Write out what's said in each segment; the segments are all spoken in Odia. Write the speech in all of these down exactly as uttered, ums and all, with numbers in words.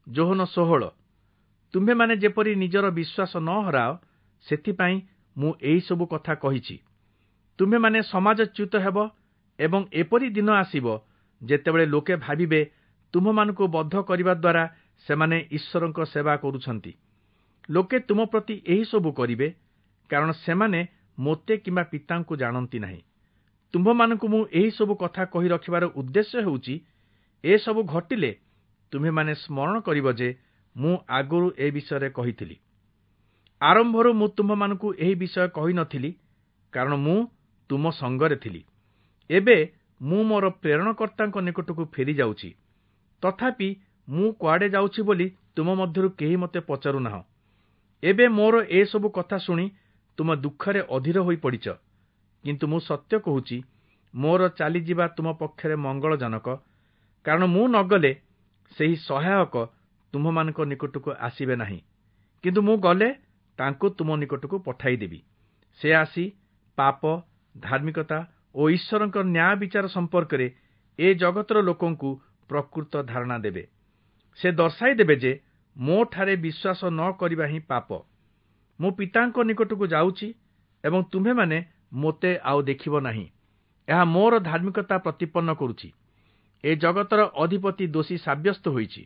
ଯୋହନ ଷୋହଳ। ତୁମ୍ଭେମାନେ ଯେପରି ନିଜର ବିଶ୍ୱାସ ନ ହରାଅ, ସେଥିପାଇଁ ମୁଁ ଏହିସବୁ କଥା କହିଛି। ତୁମ୍ଭେମାନେ ସମାଜଚ୍ୟୁତ ହେବ ଏବଂ ଏପରି ଦିନ ଆସିବ ଯେତେବେଳେ ଲୋକେ ଭାବିବେ ତୁମ୍ଭମାନଙ୍କୁ ବଧ କରିବା ଦ୍ୱାରା ସେମାନେ ଈଶ୍ୱରଙ୍କ ସେବା କରୁଛନ୍ତି। ଲୋକେ ତୁମ ପ୍ରତି ଏହିସବୁ କରିବେ, କାରଣ ସେମାନେ ମୋତେ କିମ୍ବା ପିତାଙ୍କୁ ଜାଣନ୍ତି ନାହିଁ। ତୁମ୍ଭମାନଙ୍କୁ ମୁଁ ଏହିସବୁ କଥା କହି ରଖିବାର ଉଦ୍ଦେଶ୍ୟ ହେଉଛି, ଏସବୁ ଘଟିଲେ ତୁମ୍ଭେମାନେ ସ୍ମରଣ କରିବ ଯେ ମୁଁ ଆଗରୁ ଏ ବିଷୟରେ କହିଥିଲି। ଆରମ୍ଭରୁ ମୁଁ ତୁମ୍ଭମାନଙ୍କୁ ଏହି ବିଷୟ କହିନଥିଲି, କାରଣ ମୁଁ ତୁମ ସଙ୍ଗରେ ଥିଲି। ଏବେ ମୁଁ ମୋର ପ୍ରେରଣକର୍ତ୍ତାଙ୍କ ନିକଟକୁ ଫେରିଯାଉଛି। ତଥାପି ମୁଁ କୁଆଡ଼େ ଯାଉଛି ବୋଲି ତୁମ ମଧ୍ୟରୁ କେହି ମୋତେ ପଚାରୁନାହଁ। ଏବେ ମୋର ଏସବୁ କଥା ଶୁଣି ତୁମ ଦୁଃଖରେ ଅଧୀର ହୋଇପଡ଼ିଛ। କିନ୍ତୁ ମୁଁ ସତ୍ୟ କହୁଛି, ମୋର ଚାଲିଯିବା ତୁମ ପକ୍ଷରେ ମଙ୍ଗଳଜନକ, କାରଣ ମୁଁ ନଗଲେ ସେହି ସହାୟକ ତୁମ୍ଭମାନଙ୍କ ନିକଟକୁ ଆସିବେ ନାହିଁ, କିନ୍ତୁ ମୁଁ ଗଲେ ତାଙ୍କୁ ତୁମ ନିକଟକୁ ପଠାଇଦେବି। ସେ ଆସି ପାପ, ଧାର୍ମିକତା ଓ ଈଶ୍ୱରଙ୍କ ନ୍ୟାୟ ବିଚାର ସମ୍ପର୍କରେ ଏ ଜଗତର ଲୋକଙ୍କୁ ପ୍ରକୃତ ଧାରଣା ଦେବେ। ସେ ଦର୍ଶାଇ ଦେବେ ଯେ ମୋଠାରେ ବିଶ୍ୱାସ ନ କରିବା ହିଁ ପାପ। ମୁଁ ପିତାଙ୍କ ନିକଟକୁ ଯାଉଛି ଏବଂ ତୁମ୍ଭେମାନେ ମୋତେ ଆଉ ଦେଖିବ ନାହିଁ। ଏହା ମୋର ଧାର୍ମିକତା ପ୍ରତିପନ୍ନ କରୁଛି। ଏ ଜଗତର ଅଧିପତି ଦୋଷୀ ସାବ୍ୟସ୍ତ ହୋଇଛି।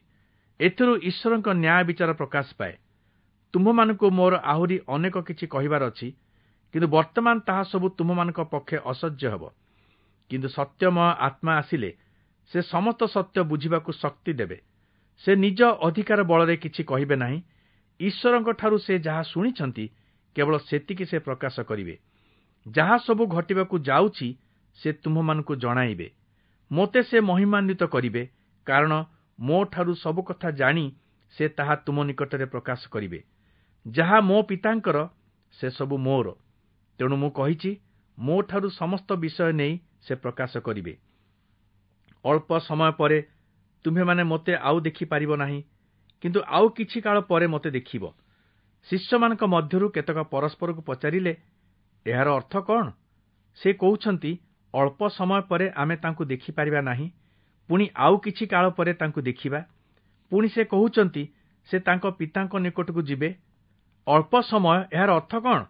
ଏଥିରୁ ଈଶ୍ୱରଙ୍କ ନ୍ୟାୟ ବିଚାର ପ୍ରକାଶ ପାଏ। ତୁମ୍ଭମାନଙ୍କୁ ମୋର ଆହୁରି ଅନେକ କିଛି କହିବାର ଅଛି, କିନ୍ତୁ ବର୍ତ୍ତମାନ ତାହା ସବୁ ତୁମ୍ଭମାନଙ୍କ ପକ୍ଷେ ଅସହ୍ୟ ହେବ। କିନ୍ତୁ ସତ୍ୟମୟ ଆତ୍ମା ଆସିଲେ ସେ ସମସ୍ତ ସତ୍ୟ ବୁଝିବାକୁ ଶକ୍ତି ଦେବେ। ସେ ନିଜ ଅଧିକାର ବଳରେ କିଛି କହିବେ ନାହିଁ। ଈଶ୍ୱରଙ୍କଠାରୁ ସେ ଯାହା ଶୁଣିଛନ୍ତି କେବଳ ସେତିକି ସେ ପ୍ରକାଶ କରିବେ। ଯାହା ସବୁ ଘଟିବାକୁ ଯାଉଛି ସେ ତୁମ୍ଭମାନଙ୍କୁ ଜଣାଇବେ। ମୋତେ ସେ ମହିମାନ୍ୱିତ କରିବେ, କାରଣ ମୋଠାରୁ ସବୁ କଥା ଜାଣି ସେ ତାହା ତୁମ ନିକଟରେ ପ୍ରକାଶ କରିବେ। ଯାହା ମୋ ପିତାଙ୍କର ସେସବୁ ମୋର। ତେଣୁ ମୁଁ କହିଛି, ମୋଠାରୁ ସମସ୍ତ ବିଷୟ ନେଇ ସେ ପ୍ରକାଶ କରିବେ। ଅଳ୍ପ ସମୟ ପରେ ତୁମ୍ଭେମାନେ ମୋତେ ଆଉ ଦେଖିପାରିବ ନାହିଁ, କିନ୍ତୁ ଆଉ କିଛି କାଳ ପରେ ମୋତେ ଦେଖିବ। ଶିଷ୍ୟମାନଙ୍କ ମଧ୍ୟରୁ କେତେକ ପରସ୍ପରକୁ ପଚାରିଲେ, ଏହାର ଅର୍ଥ କ'ଣ? ସେ କହୁଛନ୍ତି, ଅଳ୍ପ ସମୟ ପରେ ଆମେ ତାଙ୍କୁ ଦେଖିପାରିବା ନାହିଁ, ପୁଣି ଆଉ କିଛି କାଳ ପରେ ତାଙ୍କୁ ଦେଖିବା। ପୁଣି ସେ କହୁଛନ୍ତି, ସେ ତାଙ୍କ ପିତାଙ୍କ ନିକଟକୁ ଯିବେ। ଅଳ୍ପ ସମୟ, ଏହାର ଅର୍ଥ କ'ଣ?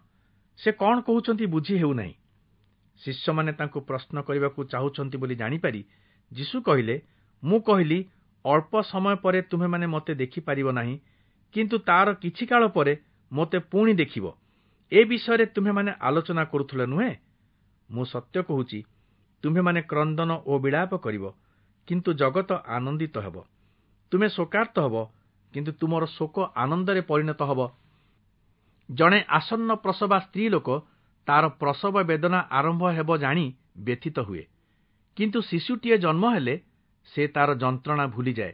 ସେ କ'ଣ କହୁଛନ୍ତି ବୁଝି ହେଉନାହିଁ। ଶିଷ୍ୟମାନେ ତାଙ୍କୁ ପ୍ରଶ୍ନ କରିବାକୁ ଚାହୁଁଛନ୍ତି ବୋଲି ଜାଣିପାରି ଯୀଶୁ କହିଲେ, ମୁଁ କହିଲି, ଅଳ୍ପ ସମୟ ପରେ ତୁମ୍ଭେମାନେ ମୋତେ ଦେଖିପାରିବ ନାହିଁ, କିନ୍ତୁ ତାର କିଛି କାଳ ପରେ ମୋତେ ପୁଣି ଦେଖିବ। ଏ ବିଷୟରେ ତୁମ୍ଭେମାନେ ଆଲୋଚନା କରୁଥିଲ ନୁହେଁ? ମୁଁ ସତ୍ୟ କହୁଛି, ତୁମ୍ଭେମାନେ କ୍ରନ୍ଦନ ଓ ବିଳାପ କରିବ, କିନ୍ତୁ ଜଗତ ଆନନ୍ଦିତ ହେବ। ତୁମେ ଶୋକାର୍ତ୍ତ ହେବ, କିନ୍ତୁ ତୁମର ଶୋକ ଆନନ୍ଦରେ ପରିଣତ ହେବ। ଜଣେ ଆସନ୍ନ ପ୍ରସବା ସ୍ତ୍ରୀ ଲୋକ ତାର ପ୍ରସବ ବେଦନା ଆରମ୍ଭ ହେବ ଜାଣି ବ୍ୟଥିତ ହୁଏ, କିନ୍ତୁ ଶିଶୁଟିଏ ଜନ୍ମ ହେଲେ ସେ ତାର ଯନ୍ତ୍ରଣା ଭୁଲିଯାଏ।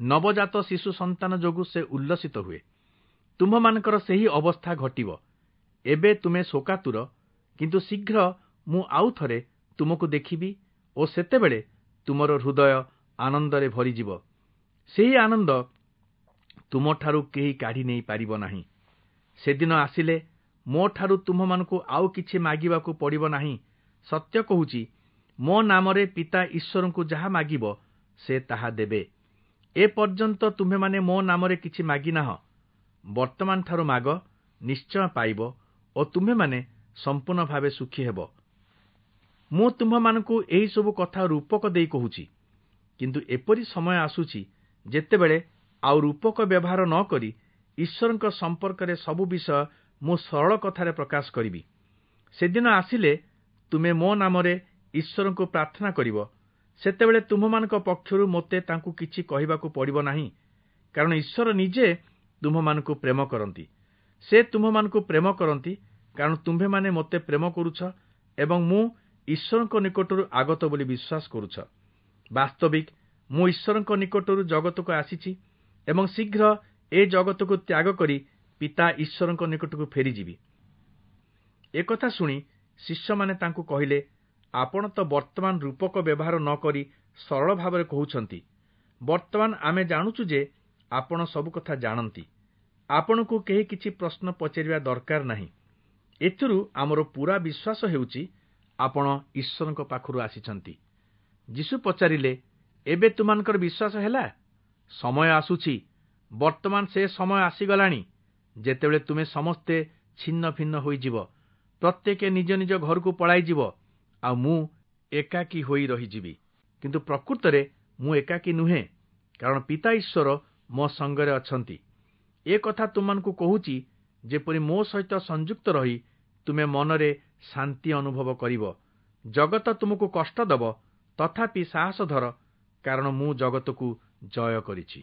ନବଜାତ ଶିଶୁ ସନ୍ତାନ ଯୋଗୁଁ ସେ ଉଲ୍ଲସିତ ହୁଏ। ତୁମ୍ଭମାନଙ୍କର ସେହି ଅବସ୍ଥା ଘଟିବ। ଏବେ ତୁମେ ଶୋକାତୁର, କିନ୍ତୁ ଶୀଘ୍ର ମୁଁ ଆଉ ଥରେ ତୁମକୁ ଦେଖିବି ଓ ସେତେବେଳେ ତୁମର ହୃଦୟ ଆନନ୍ଦରେ ଭରିଯିବ। ସେହି ଆନନ୍ଦ ତୁମଠାରୁ କେହି କାଢ଼ି ନେଇପାରିବ ନାହିଁ। ସେଦିନ ଆସିଲେ ମୋଠାରୁ ତୁମ୍ଭମାନଙ୍କୁ ଆଉ କିଛି ମାଗିବାକୁ ପଡ଼ିବ ନାହିଁ। ସତ୍ୟ କହୁଛି, ମୋ ନାମରେ ପିତା ଈଶ୍ୱରଙ୍କୁ ଯାହା ମାଗିବ ସେ ତାହା ଦେବେ। ଏ ପର୍ଯ୍ୟନ୍ତ ତୁମ୍ଭେମାନେ ମୋ ନାମରେ କିଛି ମାଗିନାହଁ। ବର୍ତ୍ତମାନଠାରୁ ମାଗ, ନିଶ୍ଚୟ ପାଇବ ଓ ତୁମ୍ଭେମାନେ ସମ୍ପୂର୍ଣ୍ଣ ଭାବେ ସୁଖୀ ହେବ। ମୁଁ ତୁମ୍ଭମାନଙ୍କୁ ଏହିସବୁ କଥା ରୂପକ ଦେଇ କହୁଛି, କିନ୍ତୁ ଏପରି ସମୟ ଆସୁଛି ଯେତେବେଳେ ଆଉ ରୂପକ ବ୍ୟବହାର ନ କରି ଈଶ୍ୱରଙ୍କ ସମ୍ପର୍କରେ ସବୁ ବିଷୟ ମୁଁ ସରଳ କଥାରେ ପ୍ରକାଶ କରିବି। ସେଦିନ ଆସିଲେ ତୁମେ ମୋ ନାମରେ ଈଶ୍ୱରଙ୍କୁ ପ୍ରାର୍ଥନା କରିବ। ସେତେବେଳେ ତୁମ୍ଭମାନଙ୍କ ପକ୍ଷରୁ ମୋତେ ତାଙ୍କୁ କିଛି କହିବାକୁ ପଡ଼ିବ ନାହିଁ, କାରଣ ଈଶ୍ୱର ନିଜେ ତୁମ୍ଭମାନଙ୍କୁ ପ୍ରେମ କରନ୍ତି। ସେ ତୁମ୍ଭମାନଙ୍କୁ ପ୍ରେମ କରନ୍ତି, କାରଣ ତୁମ୍ଭେମାନେ ମୋତେ ପ୍ରେମ କରୁଛ ଏବଂ ମୁଁ ଈଶ୍ୱରଙ୍କ ନିକଟରୁ ଆଗତ ବୋଲି ବିଶ୍ୱାସ କରୁଛ। ବାସ୍ତବିକ ମୁଁ ଈଶ୍ୱରଙ୍କ ନିକଟରୁ ଜଗତକୁ ଆସିଛି ଏବଂ ଶୀଘ୍ର ଏ ଜଗତକୁ ତ୍ୟାଗ କରି ପିତା ଈଶ୍ୱରଙ୍କ ନିକଟକୁ ଫେରିଯିବି। ଏକଥା ଶୁଣି ଶିଷ୍ୟମାନେ ତାଙ୍କୁ କହିଲେ, ଆପଣ ତ ବର୍ତ୍ତମାନ ରୂପକ ବ୍ୟବହାର ନ କରି ସରଳ ଭାବରେ କହୁଛନ୍ତି। ବର୍ତ୍ତମାନ ଆମେ ଜାଣୁଛୁ ଯେ ଆପଣ ସବୁ କଥା ଜାଣନ୍ତି। ଆପଣଙ୍କୁ କେହି କିଛି ପ୍ରଶ୍ନ ପଚାରିବା ଦରକାର ନାହିଁ। ଏଥିରୁ ଆମର ପୂରା ବିଶ୍ୱାସ ହେଉଛି ଆପଣ ଈଶ୍ୱରଙ୍କ ପାଖରୁ ଆସିଛନ୍ତି। ଯୀଶୁ ପଚାରିଲେ, ଏବେ ତୁମମାନଙ୍କର ବିଶ୍ୱାସ ହେଲା? ସମୟ ଆସୁଛି ବର୍ତ୍ତମାନ ସେ ସମୟ ଆସିଗଲାଣି ଯେତେବେଳେ ତୁମେ ସମସ୍ତେ ଛିନ୍ନ ଭିନ୍ନ ହୋଇଯିବ, ପ୍ରତ୍ୟେକେ ନିଜ ନିଜ ଘରକୁ ପଳାଇଯିବ, ଆଉ ମୁଁ ଏକାକୀ ହୋଇ ରହିଯିବି। କିନ୍ତୁ ପ୍ରକୃତରେ ମୁଁ ଏକାକୀ ନୁହେଁ, କାରଣ ପିତା ଈଶ୍ୱର ମୋ ସଙ୍ଗରେ ଅଛନ୍ତି। ଏ କଥା ତୁମମାନଙ୍କୁ କହୁଛି ଯେପରି ମୋ ସହିତ ସଂଯୁକ୍ତ ରହି ତୁମେ ମନରେ ଶାନ୍ତି ଅନୁଭବ କରିବ। ଜଗତ ତୁମକୁ କଷ୍ଟ ଦେବ, ତଥାପି ସାହସ ଧର, କାରଣ ମୁଁ ଜଗତକୁ ଜୟ କରିଛି।